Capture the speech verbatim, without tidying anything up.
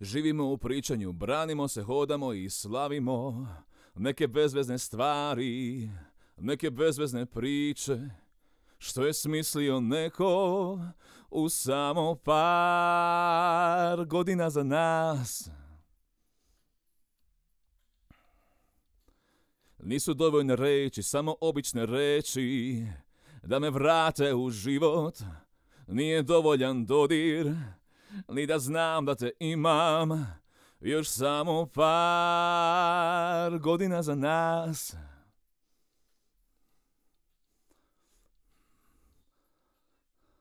Živimo u pričanju, branimo se, hodamo i slavimo neke bezvezne stvari, neke bezvezne priče, što je smislio neko u samo par godina za nas. Nisu dovoljne reči, samo obične reči, da me vrate u život. Nije dovoljan dodir, ni da znam da te imam, još samo par godina za nas.